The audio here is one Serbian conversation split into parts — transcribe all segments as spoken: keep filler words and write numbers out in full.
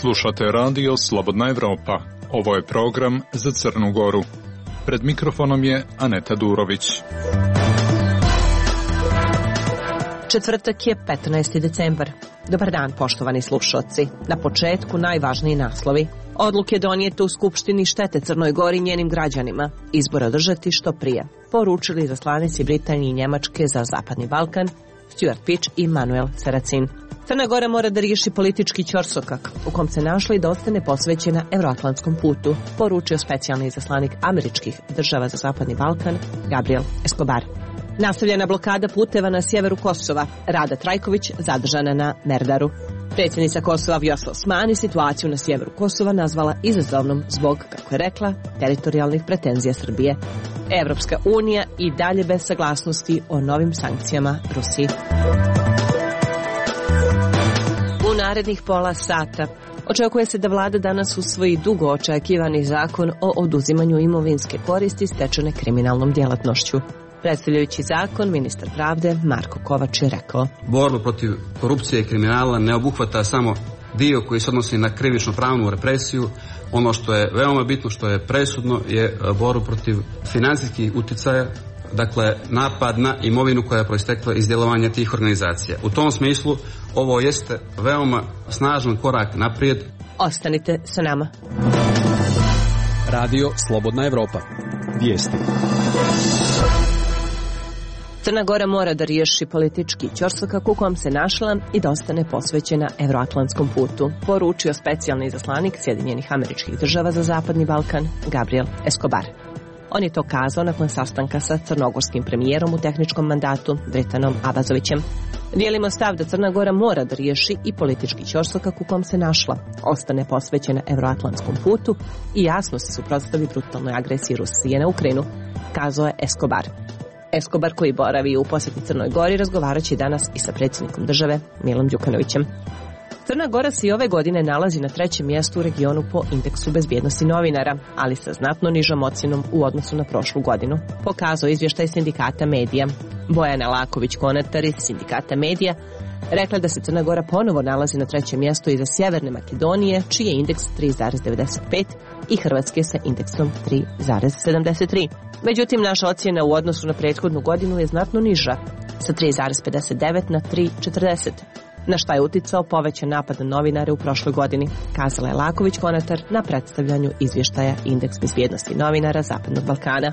Slušate radio Slobodna Evropa. Ovo je program za Crnu Goru. Pred mikrofonom je Aneta Durović. Četvrtak je petnaesti decembar. Dobar dan, poštovani slušaoci. Na početku najvažniji naslovi. Odluke donijete u Skupštini štete Crnoj Gori i njenim građanima. Izbor održati što prije. Poručili izaslanici Britanije i Njemačke za Zapadni Balkan, Stuart Pitt i Manuel Seracin. Crna Gora mora da riješi politički ćorsokak u kom se našla i da ostane posvećena euroatlantskom putu, poručio specijalni izaslanik američkih država za Zapadni Balkan, Gabriel Escobar. Nastavljena blokada puteva na sjeveru Kosova, Rada Trajković zadržana na Merdaru. Predsjednica Kosova Vjosa Osmani situaciju na sjeveru Kosova nazvala izazovnom zbog, kako je rekla, teritorijalnih pretenzija Srbije. Evropska unija i dalje bez saglasnosti o novim sankcijama Rusiji. U narednih pola sata očekuje se da vlada danas usvoji dugo očekivani zakon o oduzimanju imovinske koristi stečene kriminalnom djelatnošću. Predstavljajući zakon, ministar pravde Marko Kovač je rekao: Borba protiv korupcije i kriminala ne obuhvata samo dio koji se odnosi na krivično pravnu represiju. Ono što je veoma bitno, što je presudno, je borba protiv financijskih uticaja, dakle napad na imovinu koja je proistekla iz djelovanja tih organizacija. U tom smislu ovo jeste veoma snažan korak naprijed. Ostanite sa nama. Radio Slobodna Evropa. Vijesti. Crna Gora mora da riješi politički ćorsokak u kojem se našla i da ostane posvećena euroatlantskom putu, poručio specijalni izaslanik Sjedinjenih Američkih Država za Zapadni Balkan, Gabriel Escobar. On je to kazao nakon sastanka sa crnogorskim premijerom u tehničkom mandatu Dritanom Abazovićem. Dijelimo stav da Crna Gora mora da riješi i politički ćorsokak u kom se našla, ostane posvećena euroatlantskom putu i jasno se suprotstavi brutalnoj agresiji Rusije na Ukrajinu, kazao je Escobar. Escobar, koji boravi u posjeti Crnoj Gori, razgovarat će danas i sa predsjednikom države Milom Đukanovićem. Crna Gora se i ove godine nalazi na trećem mjestu u regionu po indeksu bezbjednosti novinara, ali sa znatno nižom ocjenom u odnosu na prošlu godinu, pokazao izvještaj sindikata medija. Bojana Laković-Konatar iz sindikata medija rekla da se Crna Gora ponovo nalazi na trećem mjestu iza Sjeverne Makedonije, čiji je indeks tri zarez devedeset pet, i Hrvatske sa indeksom tri zarez sedamdeset tri. Međutim, naša ocjena u odnosu na prethodnu godinu je znatno niža, sa tri zarez pedeset devet na tri zarez četrdeset, na šta je uticao povećan napad na novinare u prošloj godini, kazala je Laković-Konatar na predstavljanju izvještaja Indeks bezbjednosti novinara Zapadnog Balkana.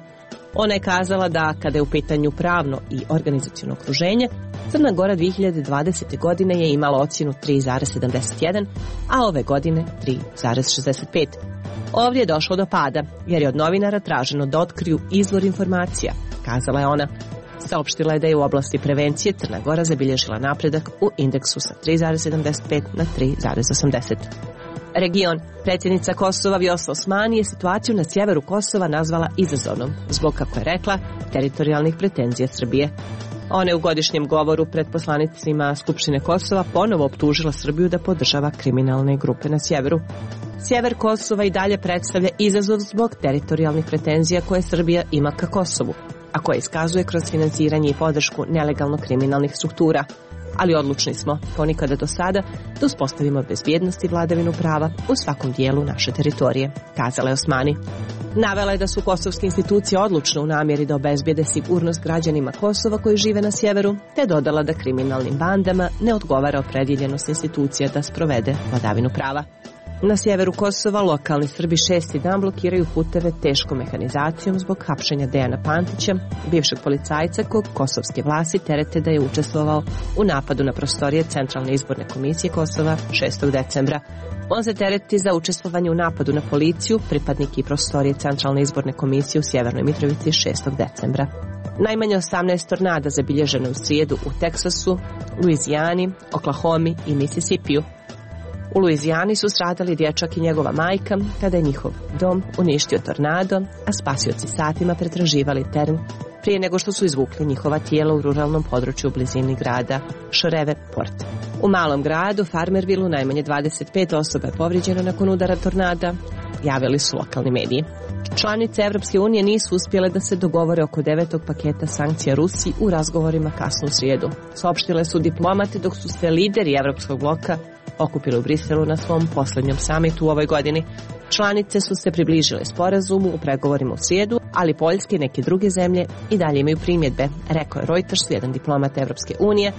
Ona je kazala da, kada je u pitanju pravno i organizaciono okruženje, Crna Gora dvije hiljade dvadesete. godine je imala ocjenu tri zarez sedamdeset jedan, a ove godine tri zarez šezdeset pet. Ovdje je došlo do pada, jer je od novinara traženo da otkriju izvor informacija, kazala je ona. Saopštila je da je u oblasti prevencije Crna Gora zabilježila napredak u indeksu sa tri zarez sedamdeset pet na tri zarez osamdeset. Region. Predsjednica Kosova Vjosa Osmani je situaciju na sjeveru Kosova nazvala izazovnom, zbog, kako je rekla, teritorijalnih pretenzija Srbije. Ona je u godišnjem govoru pred poslanicima Skupštine Kosova ponovo optužila Srbiju da podržava kriminalne grupe na sjeveru. Sjever Kosova i dalje predstavlja izazov zbog teritorijalnih pretenzija koje Srbija ima ka Kosovu, a koje iskazuje kroz financiranje i podršku nelegalno kriminalnih struktura. Ali odlučni smo, ponikada do sada, da uspostavimo bezbjednost i vladavinu prava u svakom dijelu naše teritorije, kazala je Osmani. Navela je da su kosovske institucije odlučne u namjeri da obezbijede sigurnost građanima Kosova koji žive na sjeveru, te dodala da kriminalnim bandama ne odgovara opredjeljenost institucija da sprovede vladavinu prava. Na sjeveru Kosova lokalni Srbi šesti dan blokiraju puteve teškom mehanizacijom zbog hapšenja Dejana Pantića, bivšeg policajca kog kosovske vlasti terete da je učestvovao u napadu na prostorije Centralne izborne komisije Kosova šestog decembra. On se tereti za učestvovanje u napadu na policiju, pripadnik i prostorije Centralne izborne komisije u Sjevernoj Mitrovici šestog decembra. Najmanje osamnaest tornada zabilježeno u srijedu u Teksasu, Luizijani, Oklahomi i Misisipiju. U Luizijani su stradali dječak i njegova majka kada je njihov dom uništio tornado, a spasioci satima pretraživali teren prije nego što su izvukli njihova tijela u ruralnom području u blizini grada Shreveport. U malom gradu Farmervillu najmanje dvadeset pet osoba je povrijeđeno nakon udara tornada, javili su lokalni mediji. Članice Evropske unije nisu uspjele da se dogovore oko devetog paketa sankcija Rusiji u razgovorima kasnu u srijedu. Saopštile su diplomati, dok su se lideri Evropskog bloka okupile u Briselu na svom posljednjem samitu u ovoj godini. Članice su se približile sporazumu u pregovorima u srijedu, ali Poljska i neke druge zemlje i dalje imaju primjedbe, rekao je Reuters, jedan diplomat Evropske unije,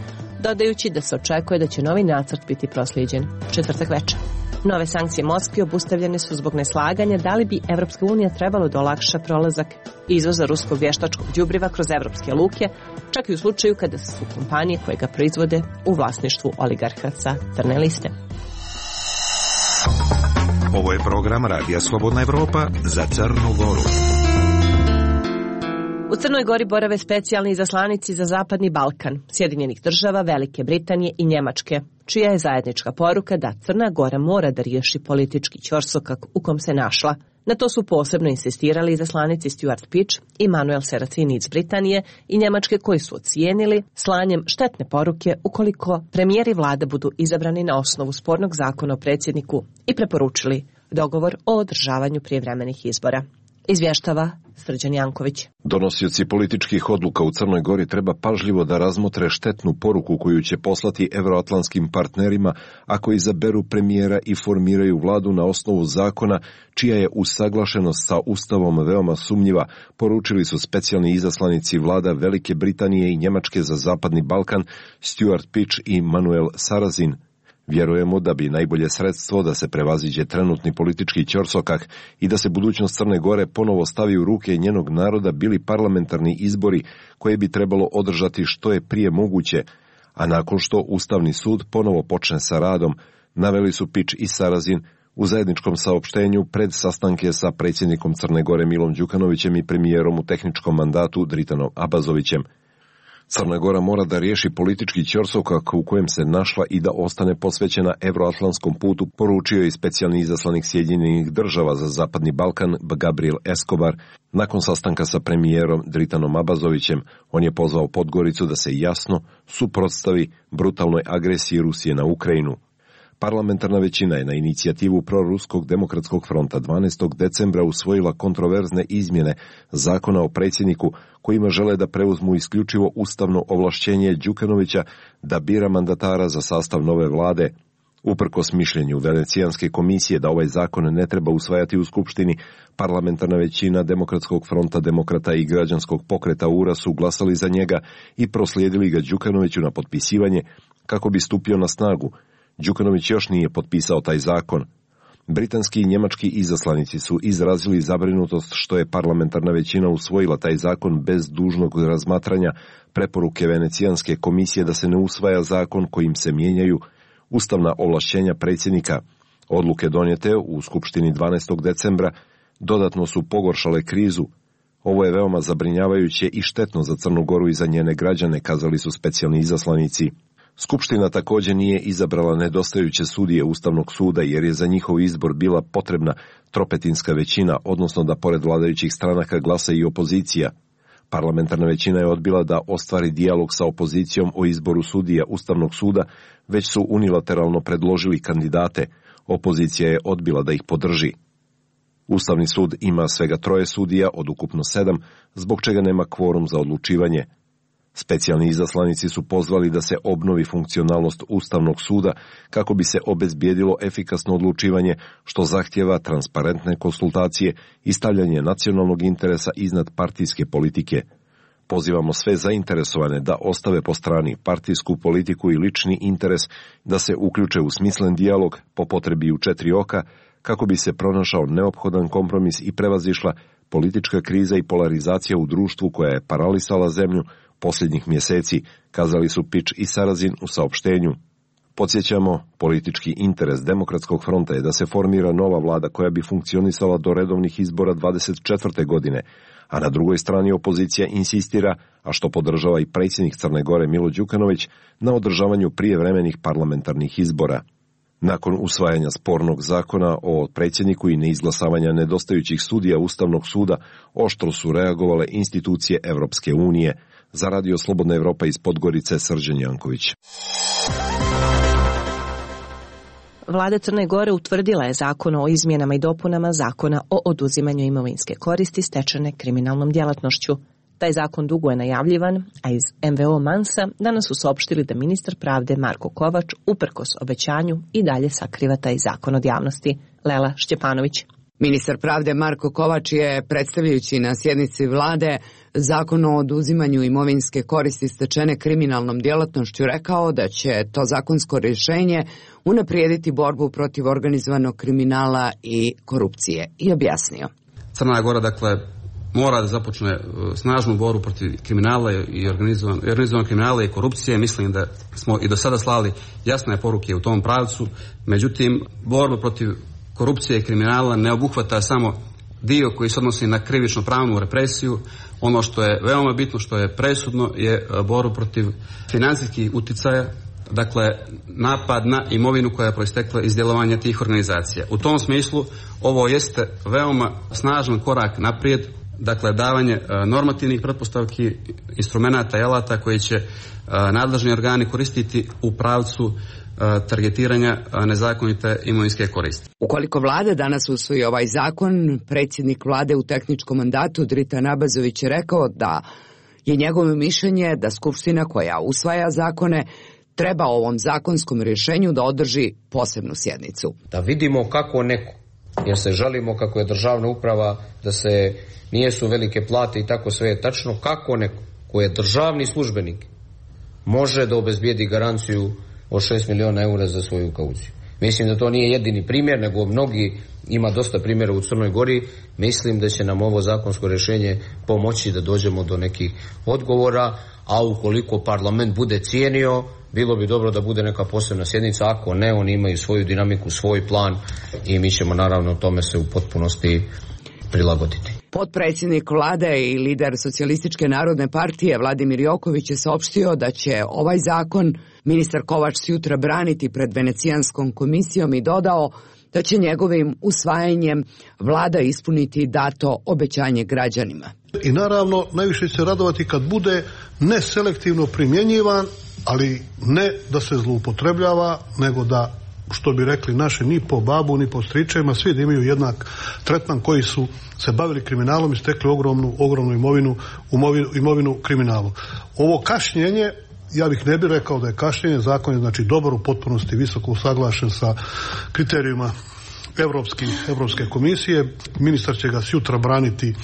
dodajući da se očekuje da će novi nacrt biti proslijeđen četvrtak večer. Nove sankcije Moskvi obustavljene su zbog neslaganja da li bi Evropska unija trebalo da olakša prolazak izvoza ruskog vještačkog đubriva kroz evropske luke, čak i u slučaju kada su kompanije koje ga proizvode u vlasništvu oligarha sa crne liste. Ovo je program Radija Slobodna Evropa za Crnu Goru. U Crnoj Gori borave specijalni izaslanici za Zapadni Balkan, Sjedinjenih država, Velike Britanije i Njemačke, čija je zajednička poruka da Crna Gora mora da riješi politički ćorsokak u kom se našla. Na to su posebno insistirali izaslanici Stuart Pitch i Manuel Seracini iz Britanije i Njemačke, koji su ocijenili slanjem štetne poruke ukoliko premijer i vlada budu izabrani na osnovu spornog zakona o predsjedniku i preporučili dogovor o održavanju prijevremenih izbora. Izvještava Srđan Janković. Donosioci političkih odluka u Crnoj Gori treba pažljivo da razmotre štetnu poruku koju će poslati evroatlantskim partnerima ako izaberu premijera i formiraju vladu na osnovu zakona čija je usaglašenost sa Ustavom veoma sumnjiva, poručili su specijalni izaslanici vlada Velike Britanije i Njemačke za Zapadni Balkan Stuart Pitch i Manuel Sarrazin. Vjerujemo da bi najbolje sredstvo da se prevaziđe trenutni politički ćorsokak i da se budućnost Crne Gore ponovo stavi u ruke njenog naroda bili parlamentarni izbori koje bi trebalo održati što je prije moguće, a nakon što Ustavni sud ponovo počne sa radom, naveli su Pitch i Sarrazin u zajedničkom saopštenju pred sastanke sa predsjednikom Crne Gore Milom Đukanovićem i premijerom u tehničkom mandatu Dritanom Abazovićem. Crna Gora mora da riješi politički ćorsokak u kojem se našla i da ostane posvećena evroatlantskom putu, poručio je specijalni izaslanik Sjedinjenih država za Zapadni Balkan Gabriel Escobar. Nakon sastanka sa premijerom Dritanom Abazovićem, on je pozvao Podgoricu da se jasno suprotstavi brutalnoj agresiji Rusije na Ukrajinu. Parlamentarna većina je na inicijativu Proruskog demokratskog fronta dvanaestog decembra usvojila kontroverzne izmjene zakona o predsjedniku kojima žele da preuzmu isključivo ustavno ovlašćenje Đukanovića da bira mandatara za sastav nove vlade. Uprkos mišljenju Venecijanske komisije da ovaj zakon ne treba usvajati u Skupštini, parlamentarna većina Demokratskog fronta demokrata i građanskog pokreta U R A su glasali za njega i proslijedili ga Đukanoviću na potpisivanje kako bi stupio na snagu. Đukanović još nije potpisao taj zakon. Britanski i njemački izaslanici su izrazili zabrinutost što je parlamentarna većina usvojila taj zakon bez dužnog razmatranja preporuke Venecijanske komisije da se ne usvaja zakon kojim se mijenjaju ustavna ovlašćenja predsjednika. Odluke donijete u Skupštini dvanaestog decembra dodatno su pogoršale krizu. Ovo je veoma zabrinjavajuće i štetno za Crnu Goru i za njene građane, kazali su specijalni izaslanici. Skupština također nije izabrala nedostajuće sudije Ustavnog suda jer je za njihov izbor bila potrebna tropetinska većina, odnosno da pored vladajućih stranaka glasa i opozicija. Parlamentarna većina je odbila da ostvari dijalog sa opozicijom o izboru sudija Ustavnog suda, već su unilateralno predložili kandidate. Opozicija je odbila da ih podrži. Ustavni sud ima svega troje sudija od ukupno sedam, zbog čega nema kvorum za odlučivanje. Specijalni izaslanici su pozvali da se obnovi funkcionalnost Ustavnog suda kako bi se obezbijedilo efikasno odlučivanje, što zahtjeva transparentne konsultacije i stavljanje nacionalnog interesa iznad partijske politike. Pozivamo sve zainteresovane da ostave po strani partijsku politiku i lični interes, da se uključe u smislen dijalog, po potrebi u četiri oka, kako bi se pronašao neophodan kompromis i prevazišla politička kriza i polarizacija u društvu koja je paralisala zemlju posljednjih mjeseci, kazali su Pitch i Sarrazin u saopštenju. Podsjećamo, politički interes Demokratskog fronta je da se formira nova vlada koja bi funkcionisala do redovnih izbora dvadeset četvrte godine, a na drugoj strani opozicija insistira, a što podržava i predsjednik Crne Gore Milo Đukanović, na održavanju prijevremenih parlamentarnih izbora. Nakon usvajanja spornog zakona o predsjedniku i neizglasavanja nedostajućih sudija Ustavnog suda, oštro su reagovale institucije Evropske unije. Za Radio Slobodna Evropa iz Podgorice, Srđan Janković. Vlada Crne Gore utvrdila je zakon o izmjenama i dopunama zakona o oduzimanju imovinske koristi stečene kriminalnom djelatnošću. Taj zakon dugo je najavljivan, a iz em ve o Mansa danas su saopštili da ministar pravde Marko Kovač, uprkos obećanju, i dalje sakriva taj zakon od javnosti. Lela Šćepanović. Ministar pravde Marko Kovač je, predstavljajući na sjednici vlade Zakon o oduzimanju imovinske koristi stečene kriminalnom djelatnošću, rekao da će to zakonsko rješenje unaprijediti borbu protiv organizovanog kriminala i korupcije, i objasnio. Crna Gora, dakle, mora da započne snažnu borbu protiv kriminala i organizovanog organizovan kriminala i korupcije. Mislim da smo i do sada slali jasne poruke u tom pravcu. Međutim, borba protiv korupcije i kriminala ne obuhvata samo dio koji se odnosi na krivično pravnu represiju. Ono što je veoma bitno, što je presudno, je borba protiv financijskih uticaja, dakle napad na imovinu koja je proistekla iz djelovanja tih organizacija. U tom smislu ovo jeste veoma snažan korak naprijed, dakle davanje normativnih pretpostavki, instrumenata i alata koji će nadležni organi koristiti u pravcu targetiranja nezakonite imovinske koristi. Ukoliko vlada danas usvoji ovaj zakon, predsjednik vlade u tehničkom mandatu Dritan Abazović je rekao da je njegovo mišljenje da Skupština koja usvaja zakone treba ovom zakonskom rješenju da održi posebnu sjednicu. Da vidimo kako neko, jer se žalimo kako je državna uprava, da se nijesu velike plate i tako sve je tačno, kako neko koji je državni službenik može da obezbijedi garanciju od šest miliona eura za svoju kauciju. Mislim da to nije jedini primjer, nego mnogi, ima dosta primjera u Crnoj Gori. Mislim da će nam ovo zakonsko rješenje pomoći da dođemo do nekih odgovora, a ukoliko parlament bude cijenio, bilo bi dobro da bude neka posebna sjednica. Ako ne, oni imaju svoju dinamiku, svoj plan i mi ćemo naravno tome se u potpunosti prilagoditi. Potpredsjednik vlade i lider Socijalističke narodne partije Vladimir Joković je saopštio da će ovaj zakon ministar Kovač sutra braniti pred Venecijanskom komisijom i dodao da će njegovim usvajanjem vlada ispuniti dato obećanje građanima. I naravno najviše će se radovati kad bude neselektivno primjenjivan, ali ne da se zloupotrebljava, nego da, što bi rekli naši, ni po babu ni po stričevima, svi da imaju jednak tretman koji su se bavili kriminalom i stekli ogromnu, ogromnu imovinu, imovinu, imovinu kriminalu. Ovo kašnjenje, ja bih ne bih rekao da je kašnjenje, zakon je znači dobar, u potpunosti visoko usaglašen sa kriterijima Evropski, Evropske komisije. Ministar će ga sutra braniti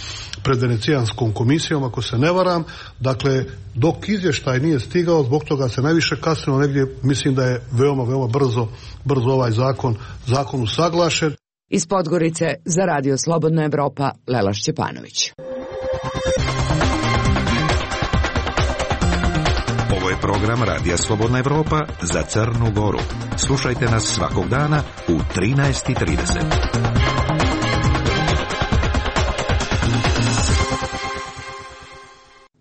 pred Venecijanskom komisijom, ako se ne varam. Dakle, dok izvještaj nije stigao, zbog toga se najviše kasnilo negdje, mislim da je veoma, veoma brzo, brzo ovaj zakon, zakon usaglašen. Iz Podgorice za Radio Slobodna Evropa, Lela Šćepanović. Ovo je program Radija Slobodna Evropa za Crnu Goru. Slušajte nas svakog dana u trinaest i trideset.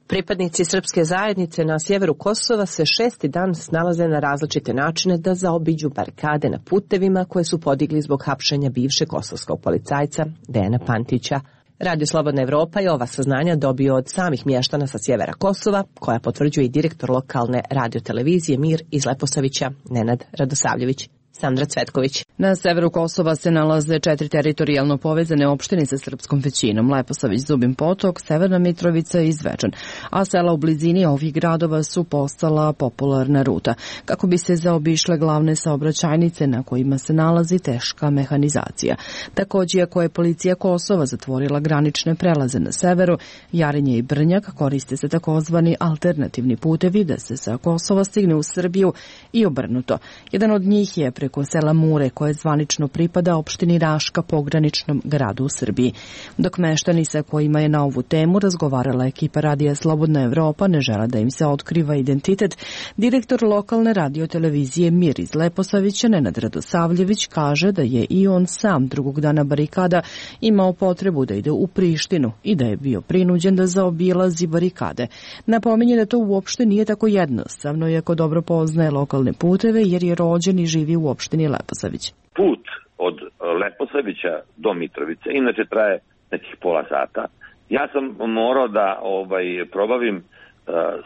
Pripadnici srpske zajednice na sjeveru Kosova se šesti dan snalaze na različite načine da zaobiđu barikade na putevima koje su podigli zbog hapšenja bivšeg kosovskog policajca Dejana Pantića. Radio Slobodna Evropa je ova saznanja dobio od samih mještana sa sjevera Kosova, koja potvrđuje i direktor lokalne radiotelevizije Mir iz Leposavića, Nenad Radosavljević. Sandra Cvetković. Na severu Kosova se nalaze četiri teritorijalno povezane opštine sa srpskom većinom: Leposavić, Zubin Potok, Severna Mitrovica i Zvečan, a sela u blizini ovih gradova su postala popularna ruta kako bi se zaobišle glavne saobraćajnice na kojima se nalazi teška mehanizacija. Također, ako je policija Kosova zatvorila granične prelaze na severu, Jarinje i Brnjak, koriste se takozvani alternativni putevi da se sa Kosova stigne u Srbiju i obrnuto. Jedan od njih je preko sela Mure, koje zvanično pripada opštini Raška, pograničnom gradu u Srbiji. Dok meštani sa kojima je na ovu temu razgovarala ekipa Radija Slobodna Evropa ne žele da im se otkriva identitet, direktor lokalne radiotelevizije Mir iz Leposavića, Nenad Radosavljević, kaže da je i on sam drugog dana barikada imao potrebu da ide u Prištinu i da je bio prinuđen da zaobilazi barikade. Napominje da to uopšte nije tako jednostavno, iako dobro poznaje lokalne puteve jer je rođen i živi u opštini Leposavić. Put od Leposavića do Mitrovice inače traje nekih pola sata. Ja sam morao da ovaj probavim uh,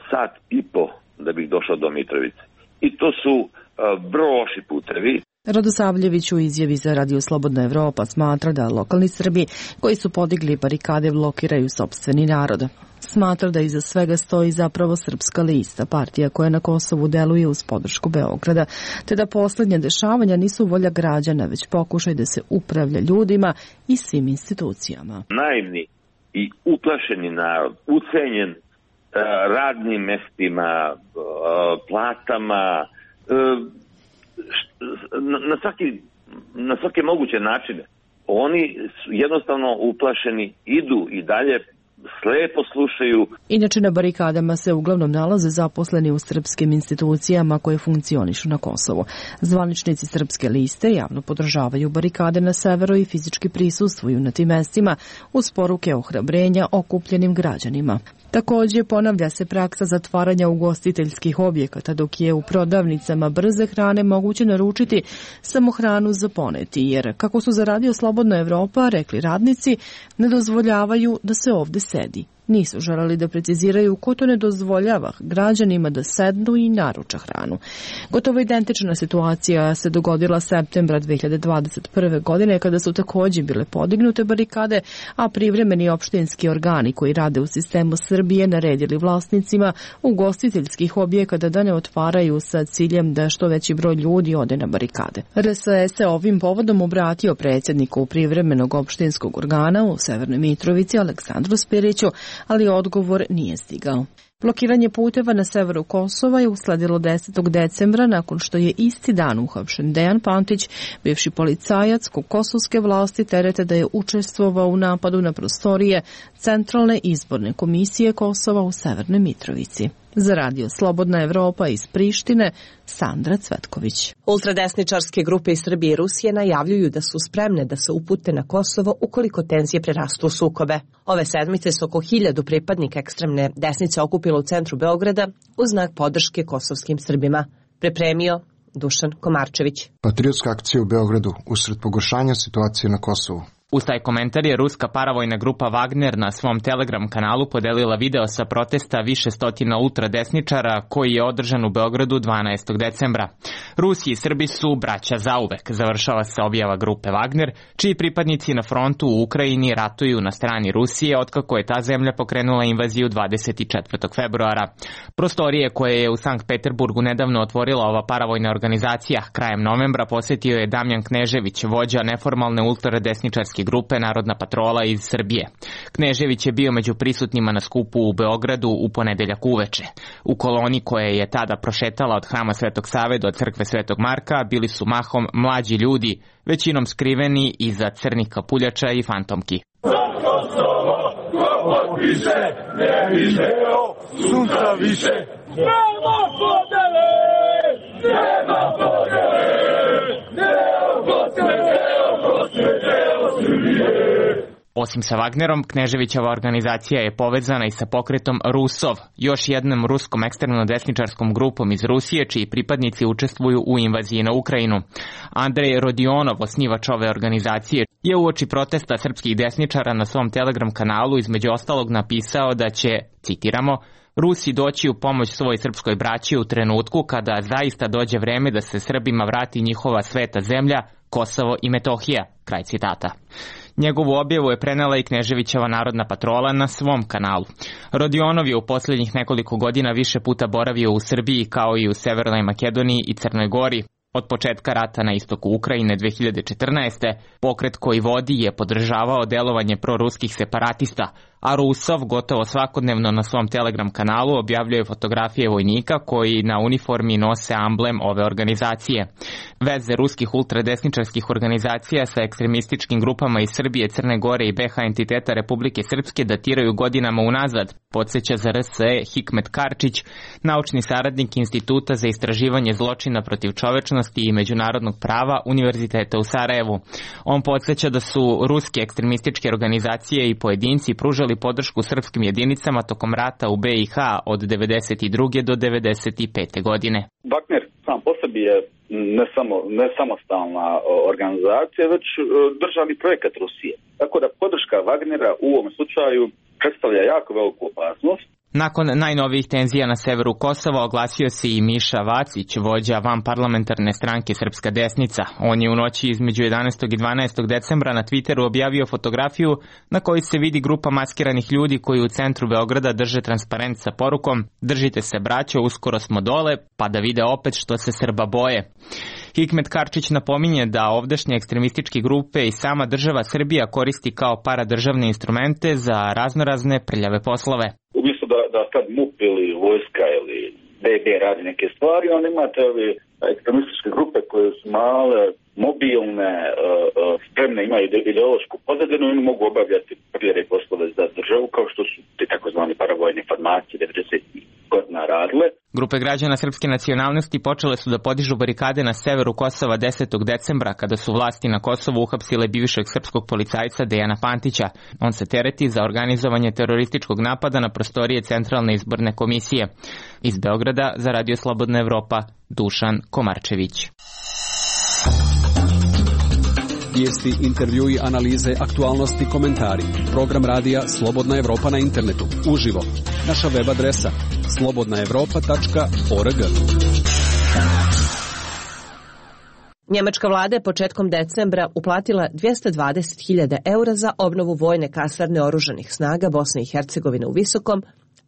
sat i po da bih došao do Mitrovice. I to su uh, vrlo loši putevi. Radosavljević u izjavi za Radio Slobodna Evropa smatra da lokalni Srbi koji su podigli barikade blokiraju sopstveni narod. Smatra da iza svega stoji zapravo Srpska lista, partija koja na Kosovu deluje uz podršku Beograda, te da poslednja dešavanja nisu volja građana, već pokušaj da se upravlja ljudima i svim institucijama. Naivni i uplašeni narod, ucenjen uh, radnim mestima, uh, platama, uh, na, na, svaki, na svake moguće načine. Oni su jednostavno uplašeni, idu i dalje, slepo slušaju. Inače, na barikadama se uglavnom nalaze zaposleni u srpskim institucijama koje funkcionišu na Kosovu. Zvaničnici Srpske liste javno podržavaju barikade na severu i fizički prisustvuju na tim mestima uz poruke ohrabrenja okupljenim građanima. Takođe, ponavlja se praksa zatvaranja ugostiteljskih objekata, dok je u prodavnicama brze hrane moguće naručiti samo hranu za poneti, jer, kako su za Radio Slobodna Evropa rekli radnici, ne dozvoljavaju da se ovde sedi. Nisu želeli da preciziraju ko to ne dozvoljava građanima da sednu i naruča hranu. Gotovo identična situacija se dogodila septembra dve hiljade dvadeset prve. godine kada su takođe bile podignute barikade, a privremeni opštinski organi koji rade u sistemu Srbije naredili vlasnicima ugostiteljskih objekata da ne otvaraju sa ciljem da što veći broj ljudi ode na barikade. R S E se ovim povodom obratio predsjedniku privremenog opštinskog organa u Severnoj Mitrovici Aleksandru Spiriću, ali odgovor nije stigao. Blokiranje puteva na severu Kosova je usledilo desetog decembra nakon što je isti dan uhapšen Dejan Pantić, bivši policajac kog kosovske vlasti terete da je učestvovao u napadu na prostorije Centralne izborne komisije Kosova u Severnoj Mitrovici. Za Radio Slobodna Evropa iz Prištine, Sandra Cvetković. Ultradesničarske grupe iz Srbije i Rusije najavljuju da su spremne da se upute na Kosovo ukoliko tenzije prerastu u sukobe. Ove sedmice su oko hiljadu pripadnika ekstremne desnice okupilo u centru Beograda u znak podrške kosovskim Srbima. Pripremio Dušan Komarčević. Patriotska akcija u Beogradu usred pogoršanja situacije na Kosovu. Uz taj komentar je ruska paravojna grupa Wagner na svom Telegram kanalu podelila video sa protesta više stotina ultradesničara koji je održan u Beogradu dvanaestog decembra. Rusi i Srbi su braća zauvek, završava se objava grupe Wagner, čiji pripadnici na frontu u Ukrajini ratuju na strani Rusije otkako je ta zemlja pokrenula invaziju dvadeset četvrtog februara. Prostorije koje je u Sankt Peterburgu nedavno otvorila ova paravojna organizacija krajem novembra posetio je Damjan Knežević, vođa neformalne ultradesničarske grupe Narodna patrola iz Srbije. Knežević je bio među prisutnima na skupu u Beogradu u ponedeljak uveče. U koloni koja je tada prošetala od Hrama Svetog Save do crkve Svetog Marka bili su mahom mlađi ljudi, većinom skriveni iza crnih kapuljača i fantomki. Za Kosovo, ko potpiše, ne video, sunca više. Nema podele, nema podele, neo Kosovo, neo Kosovo, neo Srbije. Osim sa Wagnerom, Kneževićeva organizacija je povezana i sa pokretom Rusov, još jednom ruskom ekstremno-desničarskom grupom iz Rusije, čiji pripadnici učestvuju u invaziji na Ukrajinu. Andrej Rodionov, osnivač ove organizacije, je uoči protesta srpskih desničara na svom Telegram kanalu između ostalog napisao da će, citiramo, Rusi doći u pomoć svoj srpskoj braći u trenutku kada zaista dođe vreme da se Srbima vrati njihova sveta zemlja, Kosovo i Metohija, kraj citata. Njegovu objavu je prenela i Kneževićeva Narodna patrola na svom kanalu. Rodionov je u posljednjih nekoliko godina više puta boravio u Srbiji kao i u Severnoj Makedoniji i Crnoj Gori. Od početka rata na istoku Ukrajine dve hiljade četrnaeste. pokret koji vodi je podržavao delovanje proruskih separatista, a Rusov gotovo svakodnevno na svom Telegram kanalu objavljuje fotografije vojnika koji na uniformi nose amblem ove organizacije. Veze ruskih ultradesničarskih organizacija sa ekstremističkim grupama iz Srbije, Crne Gore i be ha entiteta Republike Srpske datiraju godinama unazad, podsjeća za R S E Hikmet Karčić, naučni saradnik Instituta za istraživanje zločina protiv čovečnosti i međunarodnog prava Univerziteta u Sarajevu. On podsjeća da su ruske ekstremističke organizacije i pojedinci pružali podršku srpskim jedinicama tokom rata u be i ha od devedeset druge do devedeset pete. godine. Wagner sam po sebi je ne samo ne samostalna organizacija, već državni projekat Rusije. Tako da podrška Wagnera u ovom slučaju predstavlja jako veliku opasnost. Nakon najnovijih tenzija na severu Kosova oglasio se i Miša Vacić, vođa vanparlamentarne stranke Srpska desnica. On je u noći između jedanaestog i dvanaestog decembra na Twitteru objavio fotografiju na kojoj se vidi grupa maskiranih ljudi koji u centru Beograda drže transparent sa porukom "Držite se braćo, uskoro smo dole, pa da vide opet što se Srba boje". Hikmet Karčić napominje da ovdašnje ekstremističke grupe i sama država Srbija koristi kao paradržavne instrumente za raznorazne prljave poslove. Umjesto da, da sad M U P ili vojska ili B B radi neke stvari, onda imate ove ekstremističke grupe koje su male, mobilne, spremne, imaju ideološku pozadinu i mogu obavljati prljave poslove za državu, kao što su te takozvani paravojne formacije devedesetih godina radile. Grupe građana srpske nacionalnosti počele su da podižu barikade na severu Kosova desetog decembra, kada su vlasti na Kosovu uhapsile bivšeg srpskog policajca Dejana Pantića. On se tereti za organizovanje terorističkog napada na prostorije Centralne izborne komisije. Iz Beograda za Radio Slobodna Evropa, Dušan Komarčević. Vijesti, intervjui, analize, aktualnosti, komentari. Program radija Slobodna Evropa na internetu. Uživo. Naša web adresa slobodna evropa tačka org. Njemačka vlada je početkom decembra uplatila dvjesto dvadeset hiljada eura za obnovu vojne kasarne oružanih snaga Bosne i Hercegovine u Visokom,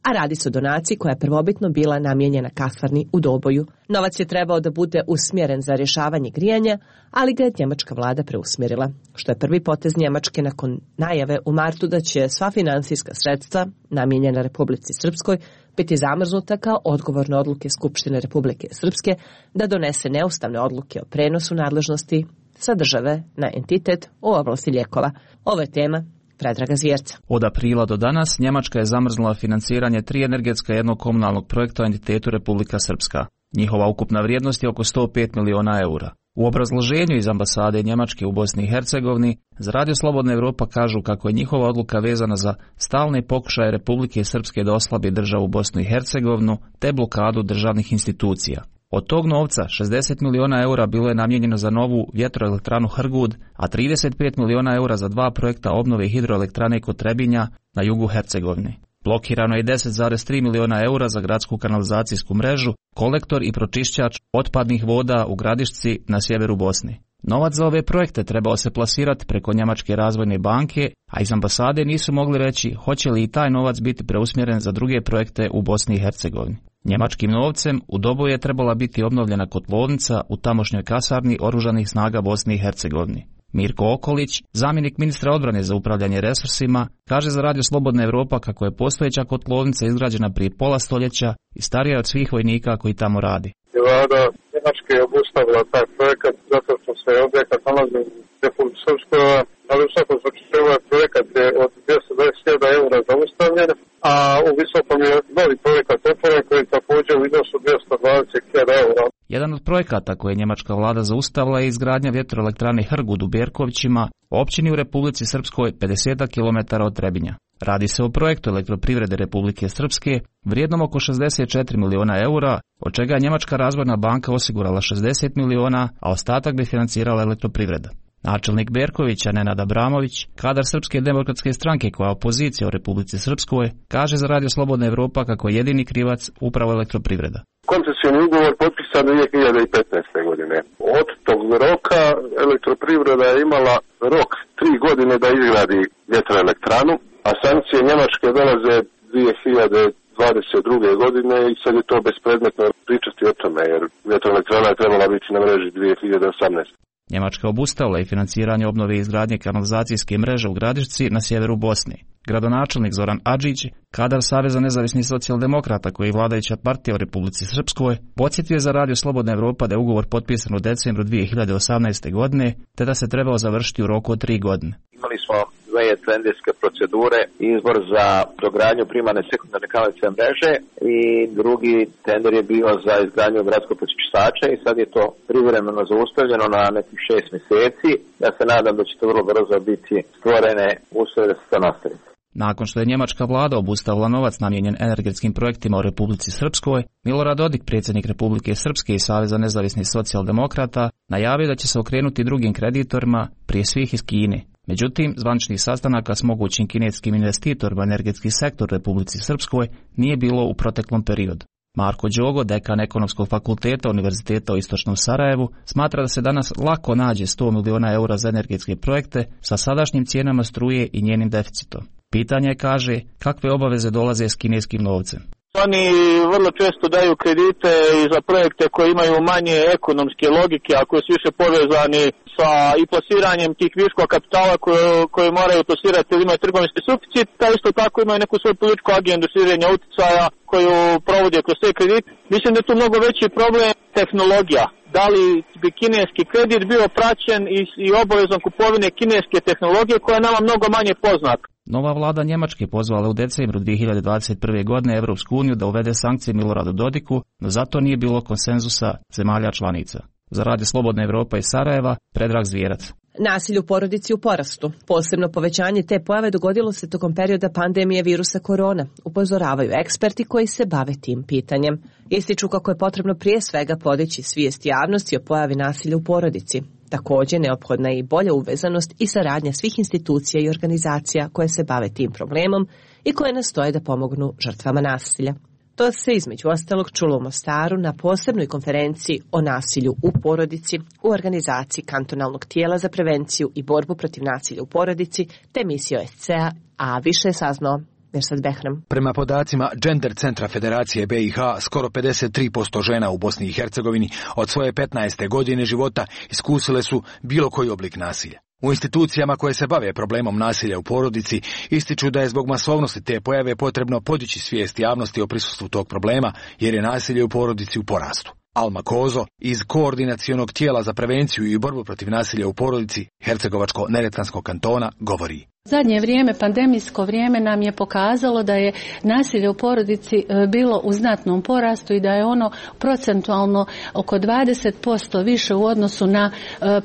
a radi se o donaciji koja je prvobitno bila namijenjena kasarni u Doboju. Novac je trebao da bude usmjeren za rješavanje grijanja, ali ga je njemačka vlada preusmjerila, što je prvi potez Njemačke nakon najave u martu da će sva finansijska sredstva namijenjena Republici Srpskoj biti zamrznuta kao odgovor na odluke Skupštine Republike Srpske da donese neustavne odluke o prenosu nadležnosti sa države na entitet u oblasti lijekova. Ovo je tema Predraga Zvjerca. Od aprila do danas Njemačka je zamrznula financiranje tri energetska jednog komunalnog projekta u entitetu Republika Srpska. Njihova ukupna vrijednost je oko sto pet miliona eura. U obrazloženju iz ambasade Njemačke u Bosni i Hercegovini za Radio Slobodna Evropa kažu kako je njihova odluka vezana za stalne pokušaje Republike Srpske da oslabi državu Bosnu i Hercegovinu te blokadu državnih institucija. Od tog novca šezdeset miliona eura bilo je namijenjeno za novu vjetroelektranu Hrgud, a trideset pet miliona eura za dva projekta obnove hidroelektrane kod Trebinja na jugu Hercegovine. Blokirano je deset zarez tri miliona eura za gradsku kanalizacijsku mrežu, kolektor i pročišćač otpadnih voda u Gradišci na sjeveru Bosne. Novac za ove projekte trebao se plasirati preko Njemačke razvojne banke, a iz ambasade nisu mogli reći hoće li i taj novac biti preusmjeren za druge projekte u Bosni i Hercegovini. Njemačkim novcem u Doboju je trebala biti obnovljena kotlovnica u tamošnjoj kasarni oružanih snaga Bosne i Hercegovine. Mirko Okolić, zamjenik ministra odbrane za upravljanje resursima, kaže za Radio Slobodna Evropa kako je postojeća kotlovnica izgrađena prije pola stoljeća i starija od svih vojnika koji tamo radi. Vlada Njemačke je obustavila taj projekat zato što se objekat nalazi u Republici Srpskoj, ali u svakom slučaju ovaj projekat je od dvjesto dvadeset hiljada eura zaustavljen, a u Visokom je novi projekat otvoren koji također u iznosu dvjesto dvadeset hiljada eura. Jedan od projekata koje je njemačka vlada zaustavila je izgradnja vjetroelektrane Hrgud u Berkovićima, općini u Republici Srpskoj pedeset kilometara od Trebinja. Radi se o projektu elektroprivrede Republike Srpske vrijednom oko šezdeset četiri miliona eura, od čega je Njemačka razvojna banka osigurala šezdeset miliona, a ostatak bi financirala elektroprivreda. Načelnik Berkovića, Nenad Abramović, kadar Srpske demokratske stranke koja je opozicija u Republici Srpskoj, kaže za Radio Slobodna Evropa kako je jedini krivac upravo elektroprivreda. Koncesioni ugovor potpisan dvije hiljade petnaeste. godine. Od tog roka elektroprivreda je imala rok tri godine da izgradi vjetroelektranu, a sankcije Njemačke dolaze dvije hiljade dvadeset druge. godine i sad je to bespredmetno pričati o tome, jer vjetroelektrana je trebala biti na mreži dvije hiljade osamnaeste. Njemačka obustavila i financiranje obnove i izgradnje kanalizacijske mreže u Gradišci na sjeveru Bosne. Gradonačelnik Zoran Adžić, kadar Saveza nezavisnih socijaldemokrata koji je vladajuća partija u Republici Srpskoj, podsjetio je za Radio Slobodna Evropa da je ugovor potpisan u decembru dvije hiljade osamnaeste. godine, te da se trebao završiti u roku od tri godine. Imali smo dve tenderske procedure, izbor za dogradnju primarne sekundarne kanalizacijske mreže i drugi tender je bio za izgradnju gradskog pročišćača i sad je to privremeno zaustavljeno na nekih šest mjeseci. Ja se nadam da će to vrlo brzo biti stvorene uslove da se to nastavi. Nakon što je njemačka vlada obustavila novac namijenjen energetskim projektima u Republici Srpskoj, Milorad Dodik, predsjednik Republike Srpske i Saveza nezavisnih socijaldemokrata, najavio da će se okrenuti drugim kreditorima, prije svih iz Kine. Međutim, zvaničnih sastanaka s mogućim kineskim investitorima energetski sektor Republici Srpskoj nije bilo u proteklom periodu. Marko Đogo, dekan Ekonomskog fakulteta Univerziteta u Istočnom Sarajevu, smatra da se danas lako nađe sto miliona eura za energetske projekte sa sadašnjim cijenama struje i njenim deficitom. Pitanje je, kaže, kakve obaveze dolaze s kineskim novcem. Oni vrlo često daju kredite i za projekte koji imaju manje ekonomske logike, a koji su više povezani sa i plasiranjem tih viškova kapitala koje, koje moraju plasirati ili imaju trgovinski suficit, ta isto tako imaju neku svoju političku agendu širenja uticaja koju provode kroz sve kredite. Mislim da je tu mnogo veći problem tehnologija. Da li bi kineski kredit bio praćen i, i obavezom kupovine kineske tehnologije koja je nama mnogo manje poznata. Nova vlada Njemačke pozvala u decembru dvije hiljade dvadeset prve. godine Evropsku uniju da uvede sankcije Miloradu Dodiku, no zato nije bilo konsenzusa zemalja članica. Za Radio Slobodna Evropa iz Sarajeva, Predrag Zvijerac. Nasilje u porodici u porastu. Posebno povećanje te pojave dogodilo se tokom perioda pandemije virusa korona, upozoravaju eksperti koji se bave tim pitanjem. Ističu kako je potrebno prije svega podići svijest javnosti o pojavi nasilja u porodici. Također, neophodna je i bolja uvezanost i saradnja svih institucija i organizacija koje se bave tim problemom i koje nastoje da pomognu žrtvama nasilja. To se između ostalog čulo u Mostaru na posebnoj konferenciji o nasilju u porodici u organizaciji kantonalnog tijela za prevenciju i borbu protiv nasilja u porodici te misije O S C A, a više je saznao Mirsad Behram. Prema podacima Gender centra Federacije B i H, skoro pedeset tri posto žena u Bosni i Hercegovini od svoje petnaeste godine života iskusile su bilo koji oblik nasilja. U institucijama koje se bave problemom nasilja u porodici ističu da je zbog masovnosti te pojave potrebno podići svijest javnosti o prisustvu tog problema jer je nasilje u porodici u porastu. Alma Kozo iz Koordinacionog tijela za prevenciju i borbu protiv nasilja u porodici Hercegovačko-Neretvanskog kantona govori. Zadnje vrijeme, pandemijsko vrijeme nam je pokazalo da je nasilje u porodici bilo u znatnom porastu i da je ono procentualno oko dvadeset posto više u odnosu na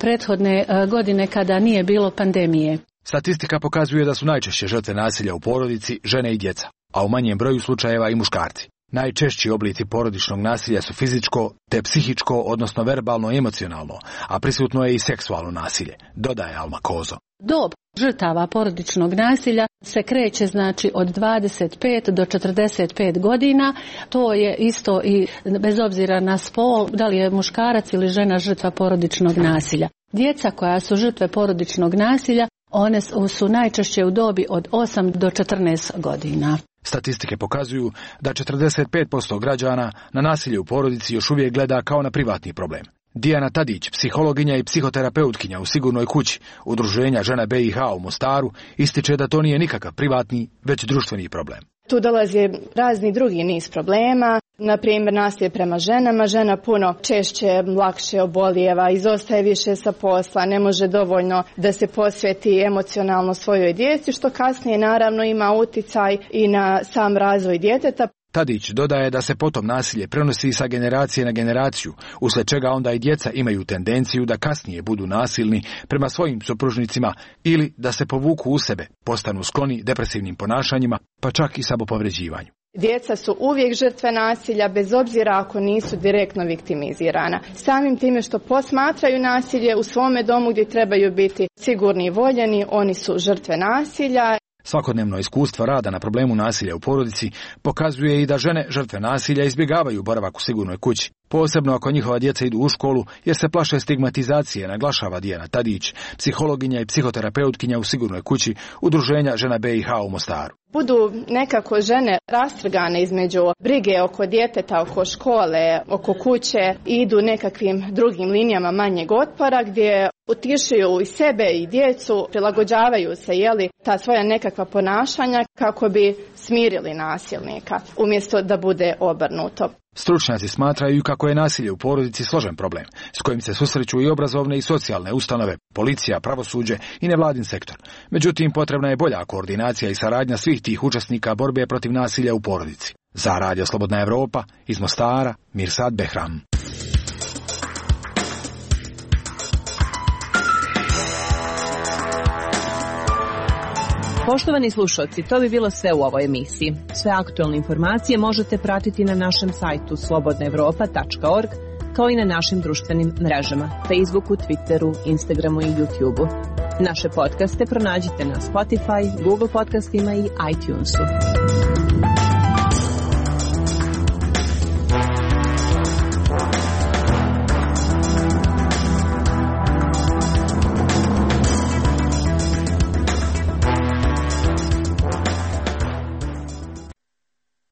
prethodne godine kada nije bilo pandemije. Statistika pokazuje da su najčešće žrtve nasilja u porodici žene i djeca, a u manjem broju slučajeva i muškarci. Najčešći oblici porodičnog nasilja su fizičko te psihičko, odnosno verbalno i emocionalno, a prisutno je i seksualno nasilje, dodaje Alma Kozo. Dob žrtava porodičnog nasilja se kreće znači od dvadeset pet do četrdeset pet godina. To je isto i bez obzira na spol, da li je muškarac ili žena žrtva porodičnog nasilja. Djeca koja su žrtve porodičnog nasilja, one su najčešće u dobi od osam do četrnaest godina. Statistike pokazuju da četrdeset pet posto građana na nasilje u porodici još uvijek gleda kao na privatni problem. Dijana Tadić, psihologinja i psihoterapeutkinja u Sigurnoj kući Udruženja žena B i H u Mostaru, ističe da to nije nikakav privatni, već društveni problem. Tu dolazi razni drugi niz problema, na primjer nasilje prema ženama. Žena puno češće, lakše obolijeva, izostaje više sa posla, ne može dovoljno da se posveti emocionalno svojoj djeci, što kasnije naravno ima uticaj i na sam razvoj djeteta. Tadić dodaje da se potom nasilje prenosi sa generacije na generaciju, usled čega onda i djeca imaju tendenciju da kasnije budu nasilni prema svojim supružnicima ili da se povuku u sebe, postanu skloni depresivnim ponašanjima, pa čak i samopovređivanju. Djeca su uvijek žrtve nasilja, bez obzira ako nisu direktno viktimizirana. Samim time što posmatraju nasilje u svome domu gdje trebaju biti sigurni i voljeni, oni su žrtve nasilja. Svakodnevno iskustvo rada na problemu nasilja u porodici pokazuje i da žene žrtve nasilja izbjegavaju boravak u sigurnoj kući, posebno ako njihova djeca idu u školu jer se plaše stigmatizacije, naglašava Dijana Tadić, psihologinja i psihoterapeutkinja u Sigurnoj kući Udruženja žena B i H u Mostaru. Budu nekako žene rastrgane između brige oko djeteta, oko škole, oko kuće i idu nekakvim drugim linijama manjeg otpora gdje utišuju i sebe i djecu, prilagođavaju se jeli, ta svoja nekakva ponašanja kako bi smirili nasilnika, umjesto da bude obrnuto. Stručnjaci smatraju kako je nasilje u porodici složen problem, s kojim se susreću i obrazovne i socijalne ustanove, policija, pravosuđe i nevladin sektor. Međutim, potrebna je bolja koordinacija i saradnja svih tih učesnika borbe protiv nasilja u porodici. Za Radio Slobodna Evropa, iz Mostara, Mirsad Behram. Poštovani slušalci, to bi bilo sve u ovoj emisiji. Sve aktualne informacije možete pratiti na našem sajtu slobodna evropa tačka org, kao i na našim društvenim mrežama, Facebooku, Twitteru, Instagramu i YouTubeu. Naše podcaste pronađite na Spotify, Google podcastima i iTunesu.